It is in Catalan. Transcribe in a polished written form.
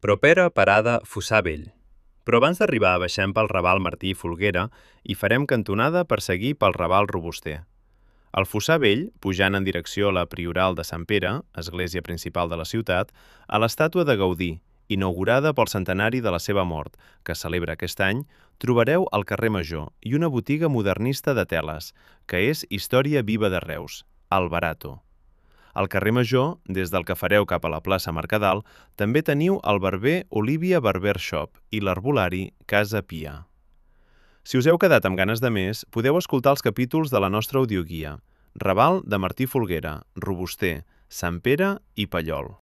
Propera parada Fossar Vell. Però abans d'arribar baixem pel Raval Martí i Folguera i farem cantonada per seguir pel Raval Robuster. Al Fossar Vell, pujant en direcció a la Prioral de Sant Pere, església principal de la ciutat, a l'estàtua de Gaudí, inaugurada pel centenari de la seva mort, que es celebra aquest any, trobareu el carrer Major i una botiga modernista de teles, que és història viva de Reus, el Barato. Al carrer Major, des del que fareu cap a la plaça Mercadal, també teniu el barber Olivia Barber Shop i l'herbolari Casa Pia. Si us heu quedat amb ganes de més, podeu escoltar els capítols de la nostra audioguia. Raval de Martí Folguera, Robuster, Sant Pere i Pallol.